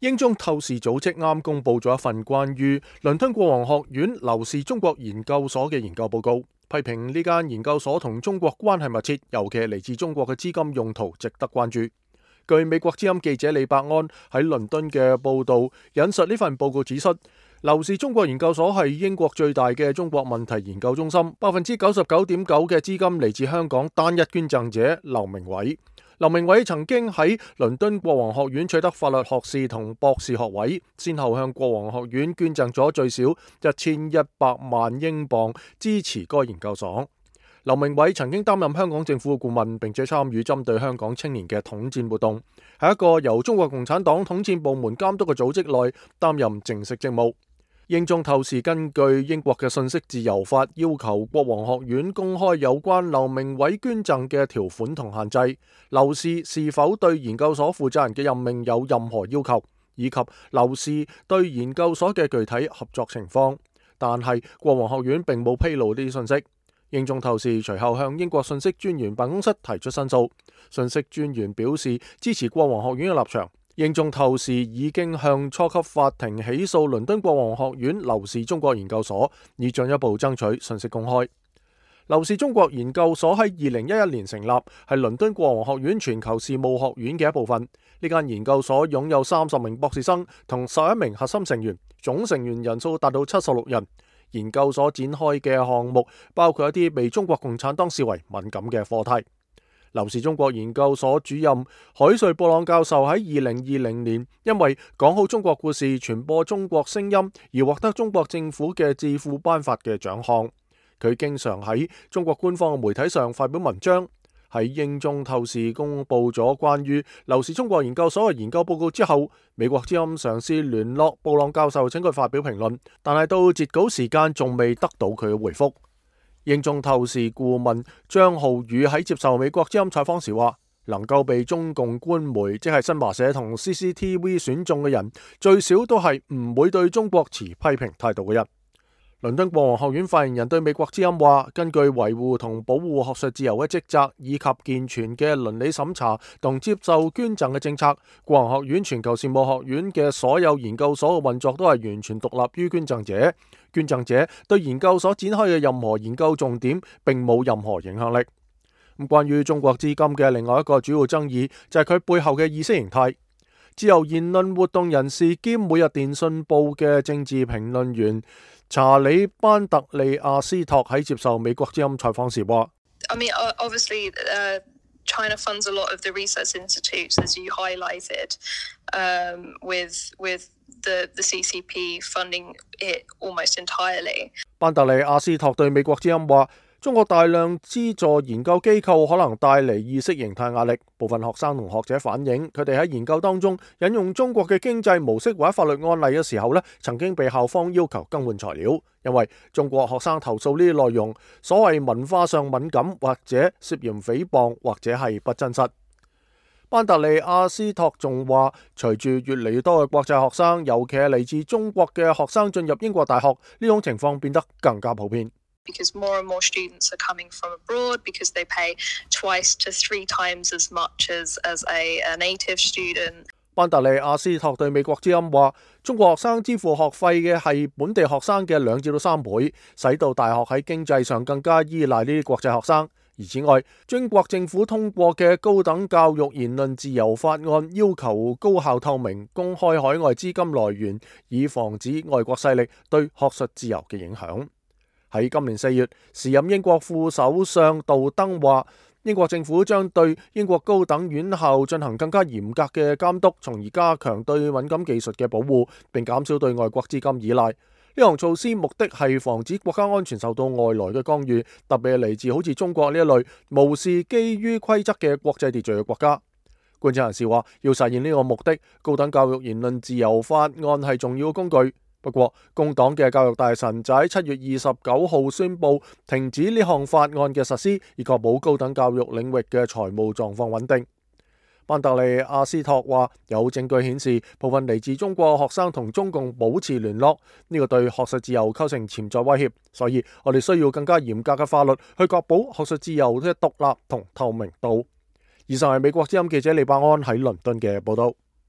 英中透視組織啱公布咗一份關於倫敦國王學院劉氏中國研究所嘅研究報告，批評呢間研究所同中國關係密切，尤其係嚟自中國嘅資金用途值得關注。據美國之音記者李伯安喺倫敦嘅報道引述呢份報告指出，劉氏中國研究所係英國最大嘅中國問題研究中心，99.9%嘅資金嚟自香港單一捐贈者劉鳴煒。劉鳴煒曾經喺倫敦國王學院取得法律學士同博士學位，先後向國王學院捐贈咗最少1100萬英鎊支持該研究所。劉鳴煒曾經擔任香港政府嘅顧問，並且參與針對香港青年嘅統戰活動，喺一個由中國共產黨統戰部門監督嘅組織內擔任正式職務。英中透視根據英國嘅信息自由法要求國王學院公開有關劉鳴煒捐贈嘅條款同限制，劉氏是否對研究所負責人嘅任命有任何要求，以及劉氏對研究所嘅具體合作情況。但係國王學院並冇披露呢啲信息。英中透視隨後向英國信息專員辦公室提出申訴，信息專員表示支持國王學院嘅立場。英中透視已經向初級法庭起訴倫敦國王學院劉氏中國研究所，以進一步爭取信息公開。劉氏中國研究所喺2011年成立，係倫敦國王學院全球事務學院嘅一部分。呢間研究所擁有30名博士生同11名核心成員，總成員人數達到76人。研究所展開嘅項目包括一啲被中國共產黨視為敏感嘅課題。劉氏中國研究所主任海瑞布朗教授喺2020年因為講好中國故事、傳播中國聲音而獲得中國政府嘅智庫頒發嘅獎項。佢經常喺中國官方嘅媒體上發表文章。喺英中透視公布咗關於劉氏中國研究所嘅研究報告之後，美國之音嘗試聯絡布朗教授請佢發表評論，但係到截稿時間仲未得到佢嘅回覆。英中透視顧問張浩宇喺接受美國之音採訪時話，能夠被中共官媒即係新華社同 CCTV 選中嘅人，最少都係唔會對中國持批評態度嘅人。倫敦國王學院發言人對美國之音話，根據維護同保護學術自由嘅職責，以及健全嘅倫理審查同接受捐贈嘅政策，國王學院全球事務學院嘅所有研究所嘅運作都係完全獨立於捐贈者。捐贈者對研究所展開嘅任何研究重點並冇任何影響力。關於中國資金嘅另外一個主要爭議就係佢背後嘅意識形態。自由言論活動人士兼每日電訊報嘅政治評論員查理班特利亞斯托喺接受美國之音採訪時話China funds a lot of the research institutes, as you highlighted, with the CCP funding it almost entirely. 班特利亞斯托對美國之音話，中國大量資助研究機構可能帶嚟意識形態壓力。部分學生同學者反映，佢哋喺研究當中引用中國嘅經濟模式或者法律案例嘅時候曾經被校方要求更換材料，因為中國學生投訴呢啲內容所謂文化上敏感，或者涉嫌誹謗，或者係不真實。班特利亞斯托仲話，隨住越嚟越多嘅國際學生，尤其係嚟自中國嘅學生進入英國大學，呢種情況變得更加普遍。Because more and more students are coming from abroad, because they pay twice to 3 times as much as a native student. 班特利亞斯托對美國之音話，中國學生支付學費嘅係本地學生嘅2至3倍，使到大學喺經濟上更加依賴呢啲國際學生。而此外，中國政府通過嘅高等教育言論自由法案要求高校透明公開海外資金來源，以防止外國勢力對學術自由嘅影響。喺今年4月，時任英國副首相杜登話，英國政府將對英國高等院校進行更加嚴格嘅監督，從而加強對敏感技術嘅保護，並減少對外國資金依賴。呢項措施目的係防止國家安全受到外來嘅干預，特別係嚟自好似中國呢一類無視基於規則嘅國際秩序嘅國家。觀察人士話，要實現呢個目的，高等教育言論自由法案係重要嘅工具。不過，工黨嘅教育大臣就喺7月29號宣布停止呢項法案嘅實施，以確保高等教育領域嘅財務狀況穩定。班特利亞斯托話，有證據顯示部分嚟自中國學生同中共保持聯絡，呢個對學術自由構成潛在威脅，所以我哋需要更加嚴格嘅法律去確保學術自由嘅獨立同透明度。以上係美國之音記者李伯安喺倫敦嘅報道。